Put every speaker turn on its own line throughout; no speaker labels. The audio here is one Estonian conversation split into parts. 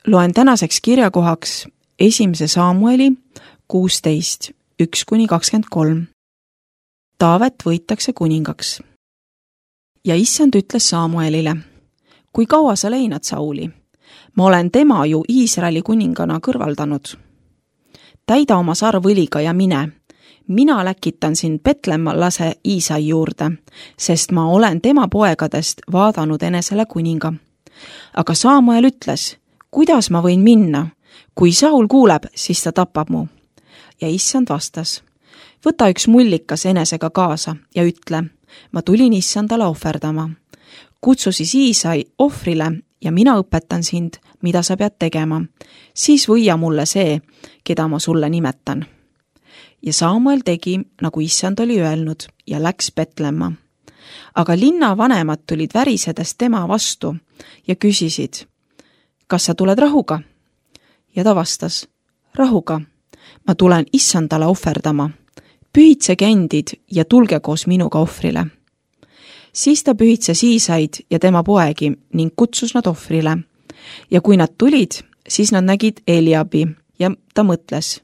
Loen tänaseks kirjakohaks 1. Samueli 16, 1-23. Taavet võitakse kuningaks. Ja issand ütles Samuelile, kui kaua sa leinad Sauli? Ma olen tema ju Iisraeli kuningana kõrvaldanud. Täida oma sarv õliga ja mine. Mina läkitan sind Betlemmlase Iisai juurde, sest ma olen tema poegadest vaadanud enesele kuninga. Aga Samuel ütles, kuidas ma võin minna? Kui Saul kuuleb, siis ta tapab mu. Ja issand vastas, võta üks mullikas enesega kaasa ja ütle, ma tulin issandale ohverdama. Kutsu siis Iisai ohvrile ja mina õpetan sind, mida sa pead tegema. Siis võia mulle see, keda ma sulle nimetan. Ja Samuel tegi, nagu issand oli öelnud, ja läks Betlemma. Aga linna vanemad tulid värisedes tema vastu ja küsisid, kas sa tuled rahuga? Ja ta vastas, rahuga, ma tulen issandale ohverdama. Pühitsege endid ja tulge koos minuga ohvrile. Siis ta pühitses Iisaid ja tema poegi ning kutsus nad ohvrile. Ja kui nad tulid, siis nad nägid Eliabi ja ta mõtles,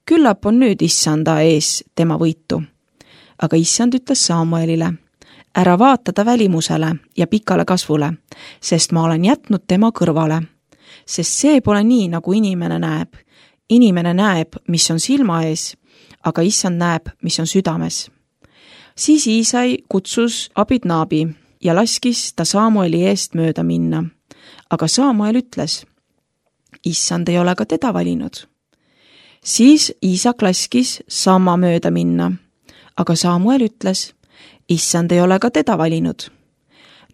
küllap on nüüd issanda ees tema võitu. Aga issand ütles Samuelile, ära vaata ta välimusele ja pikale kasvule, sest ma olen jätnud tema kõrvale. Sest see pole nii, nagu inimene näeb. Inimene näeb, mis on silma ees, aga issand näeb, mis on südames. Siis Iisai kutsus Abidnabi ja laskis ta Samueli eest mööda minna. Aga Samuel ütles, issand ei ole ka teda valinud. Siis Iisak laskis sama mööda minna, aga Samuel ütles, issand ei ole ka teda valinud.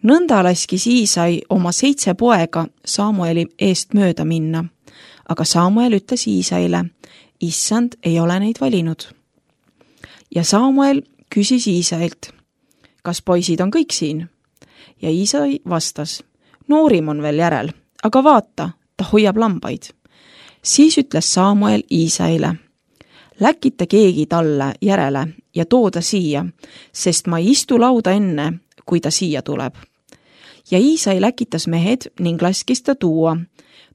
Nõnda laskis Iisai oma 7 poega Samueli eest mööda minna, aga Samuel ütles Iisaile, issand ei ole neid valinud. Ja Samuel küsis Iisailt, kas poisid on kõik siin? Ja Iisai vastas, noorim on veel järel, aga vaata, ta hoiab lambaid. Siis ütles Samuel Iisaile, läkita keegi talle järele ja too ta siia, sest ma ei istu lauda enne, kui ta siia tuleb. Ja Iisai läkitas mehed ning laskis ta tuua.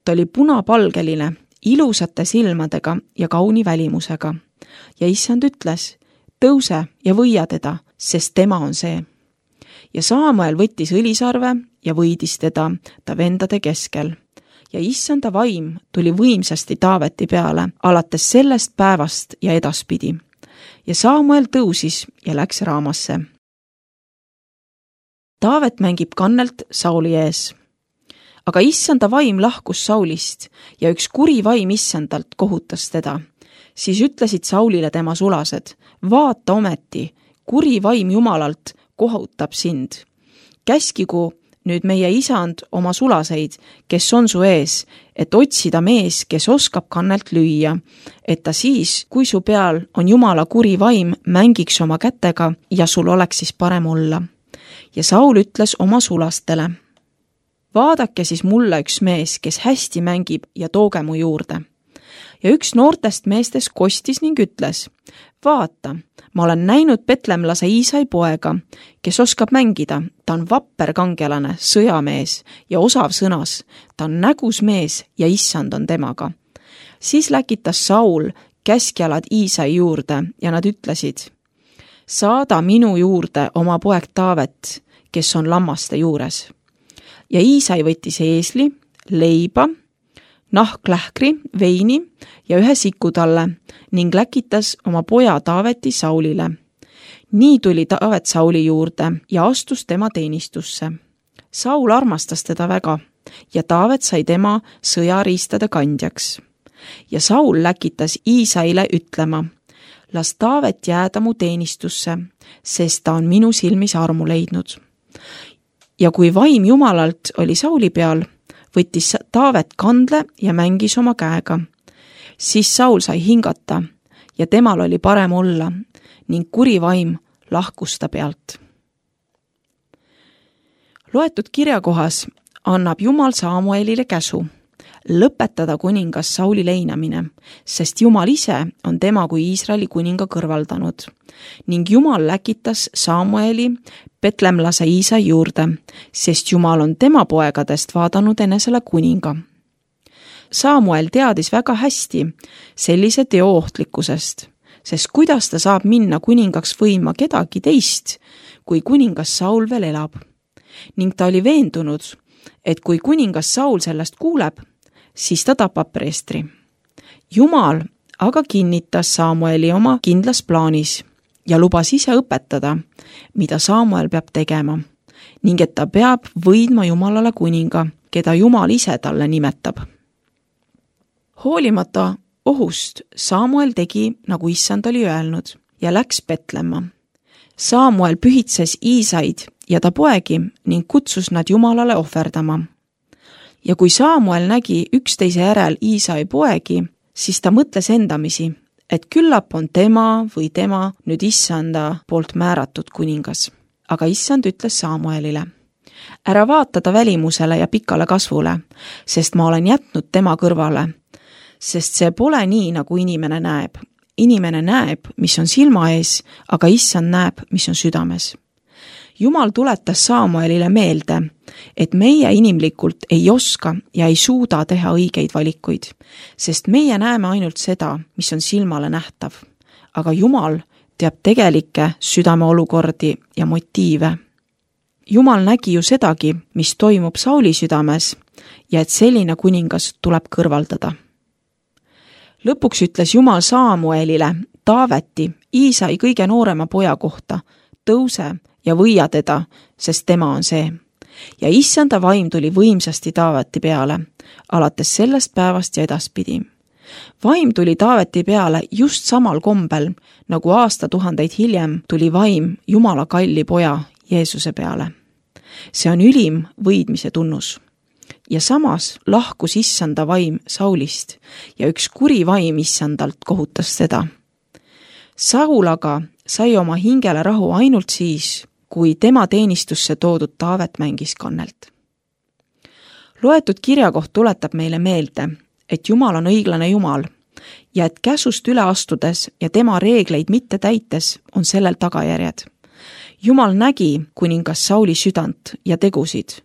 Ta oli punapalgeline, ilusate silmadega ja kauni välimusega. Ja issand ütles, tõuse ja võia teda, sest tema on see. Ja Samuel võttis õlisarve ja võidis teda ta vendade keskel. Ja issanda vaim tuli võimsasti Taaveti peale, alates sellest päevast ja edaspidi. Ja Samuel tõusis ja läks Raamasse. Taavet mängib kannelt Sauli ees. Aga issanda vaim lahkus Saulist ja üks kuri vaim issandalt kohutas teda. Siis ütlesid Saulile tema sulased, vaata ometi, kuri vaim Jumalalt kohutab sind. Käskigu nüüd meie isand oma sulaseid, kes on su ees, et otsida mees, kes oskab kannelt lüüa, et ta siis, kui su peal on Jumala kuri vaim, mängiks oma kätega ja sul oleks siis parem olla. Ja Saul ütles oma sulastele, vaadake siis mulle üks mees, kes hästi mängib ja tooge mu juurde. Ja üks noortest meestest kostis ning ütles, vaata, ma olen näinud Betlemlase Iisai poega, kes oskab mängida, ta on vapper kangelane, sõjamees ja osav sõnas, ta on nägus mees ja issand on temaga. Siis läkitas Saul käskjalad Iisai juurde ja nad ütlesid, saada minu juurde oma poeg Taavet, kes on lammaste juures. Ja Iisai võttis eesli, leiba, nahklähkri, veini ja ühe siku talle ning läkitas oma poja Taaveti Saulile. Nii tuli Taavet Sauli juurde ja astus tema teenistusse. Saul armastas teda väga ja Taavet sai tema sõjariistade kandjaks. Ja Saul läkitas Iisaile ütlema, las Taavet jääda mu teenistusse, sest ta on minu silmis armu leidnud. Ja kui vaim Jumalalt oli Sauli peal, võttis Taavet kandle ja mängis oma käega. Siis Saul sai hingata ja temal oli parem olla ning kuri vaim lahkus ta pealt. Loetud kirjakohas annab Jumal Samuelile käsu lõpetada kuningas Sauli leinamine, sest Jumal ise on tema kui Iisraeli kuninga kõrvaldanud ning Jumal läkitas Samueli Betlemlase Iisai juurde, sest Jumal on tema poegadest vaadanud enesele kuninga. Samuel teadis väga hästi sellise teo ohtlikkusest, sest kuidas ta saab minna kuningaks võima kedagi teist, kui kuningas Saul veel elab. Ning ta oli veendunud, et kui kuningas Saul sellest kuuleb, siis ta tapab preestri. Jumal aga kinnitas Samueli oma kindlas plaanis ja lubas ise õpetada, mida Samuel peab tegema, ning et ta peab võidma Jumalale kuninga, keda Jumal ise talle nimetab. Hoolimata ohust Samuel tegi, nagu issand oli öelnud, ja läks Betlemma. Samuel pühitses Iisaid ja ta poegi ning kutsus nad Jumalale ohverdama. Ja kui Samuel nägi üksteise järel Iisai poegi, siis ta mõtles endamisi, et küllap on tema või tema nüüd issanda poolt määratud kuningas. Aga issand ütles Samuelile, ära vaata ta välimusele ja pikale kasvule, sest ma olen jätnud tema kõrvale, sest see pole nii, nagu inimene näeb. Inimene näeb, mis on silma ees, aga issand näeb, mis on südames. Jumal tuletas Samuelile meelde, et meie inimlikult ei oska ja ei suuda teha õigeid valikuid, sest meie näeme ainult seda, mis on silmale nähtav. Aga Jumal teab tegelikke südameolukordi ja motiive. Jumal nägi ju sedagi, mis toimub Sauli südames ja et selline kuningas tuleb kõrvaldada. Lõpuks ütles Jumal Samuelile, Taaveti, Iisai kõige noorema poja kohta, tõuse ja võia teda, sest tema on see. Ja issanda vaim tuli võimsasti Taaveti peale, alates sellest päevast ja edaspidi. Vaim tuli Taaveti peale just samal kombel, nagu aastatuhandeid hiljem tuli vaim Jumala kalli poja Jeesuse peale. See on ülim võidmise tunnus. Ja samas lahkus issanda vaim Saulist ja üks kuri vaim issandalt kohutas teda. Saul aga sai oma hingele rahu ainult siis, kui tema teenistusse toodud Taavet mängis kannelt. Loetud kirjakoht tuletab meile meelde, et Jumal on õiglane Jumal ja et käsust üle astudes ja tema reegleid mitte täites on sellel tagajärjed. Jumal nägi kuningas Sauli südant ja tegusid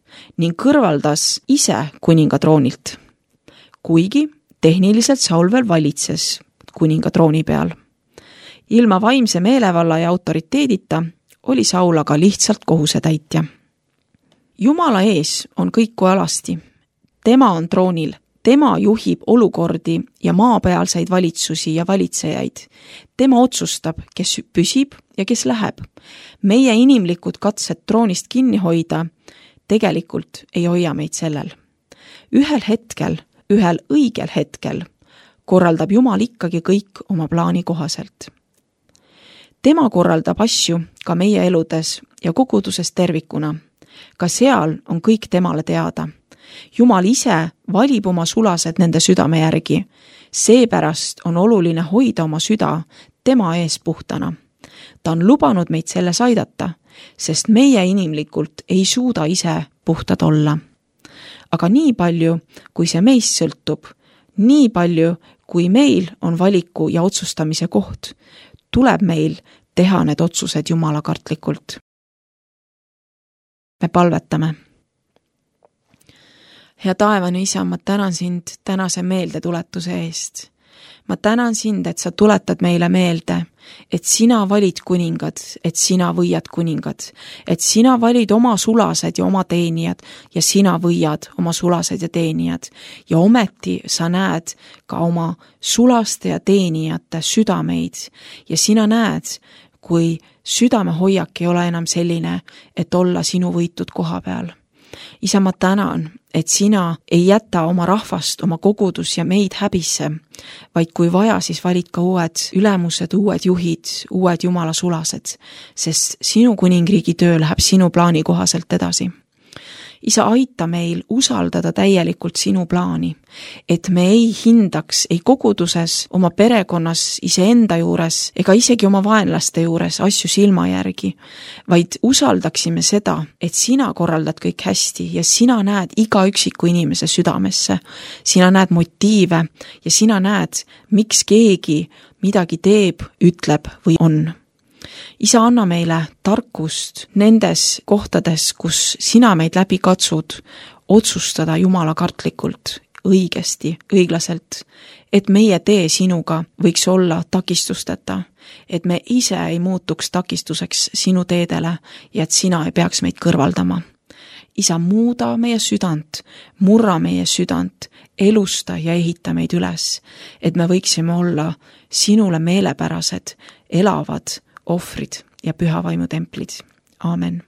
ning kõrvaldas ise kuninga troonilt, kuigi tehniliselt Saul veel valitses kuninga trooni peal. Ilma vaimse meelevalla ja autoriteedita oli Saul aga lihtsalt kohusetäitja. Jumala ees on kõik kui alasti. Tema on troonil. Tema juhib olukordi ja maapealseid valitsusi ja valitsejaid. Tema otsustab, kes püsib ja kes läheb. Meie inimlikud katsed troonist kinni hoida tegelikult ei hoia meid sellel. Ühel hetkel, ühel õigel hetkel korraldab Jumal ikkagi kõik oma plaani kohaselt. Tema korraldab asju ka meie eludes ja koguduses tervikuna. Ka seal on kõik temale teada. Jumal ise valib oma sulased nende südame järgi. Seepärast on oluline hoida oma süda tema ees puhtana. Ta on lubanud meid selles aidata, sest meie inimlikult ei suuda ise puhtad olla. Aga nii palju, kui see meist sõltub, nii palju, kui meil on valiku ja otsustamise koht, tuleb meil teha need otsused Jumala kartlikult. Me palvetame. Hea taevane isa, ma tänan sind tänase meeldetuletuse eest. Ma tänan sind, et sa tuletad meile meelde, et sina valid kuningad, et sina võiad kuningad, et sina valid oma sulased ja oma teenijad ja sina võiad oma sulased ja teenijad. Ja ometi sa näed ka oma sulaste ja teenijate südameid ja sina näed, kui südamehoiak ei ole enam selline, et olla sinu võitud koha peal. Isa, ma tänan, et sina ei jäta oma rahvast, oma kogudus ja meid häbisse, vaid kui vaja, siis valid ka uued ülemused, uued juhid, uued Jumala sulased, sest sinu kuningriigi töö läheb sinu plaani kohaselt edasi. Isa, aita meil usaldada täielikult sinu plaani, et me ei hindaks ei koguduses, oma perekonnas, iseenda juures ega isegi oma vaenlaste juures asju silma järgi, vaid usaldaksime seda, et sina korraldad kõik hästi ja sina näed iga üksiku inimese südamesse. Sina näed motiive ja sina näed, miks keegi midagi teeb, ütleb või on. Isa, anna meile tarkust nendes kohtades, kus sina meid läbi katsud, otsustada Jumala kartlikult, õigesti, õiglaselt, et meie tee sinuga võiks olla takistusteta, et me ise ei muutuks takistuseks sinu teedele ja et sina ei peaks meid kõrvaldama. Isa, muuda meie südant, murra meie südant, elusta ja ehita meid üles, et me võiksime olla sinule meelepärased, elavad ohvrid ja püha vaimu templid. Aamen.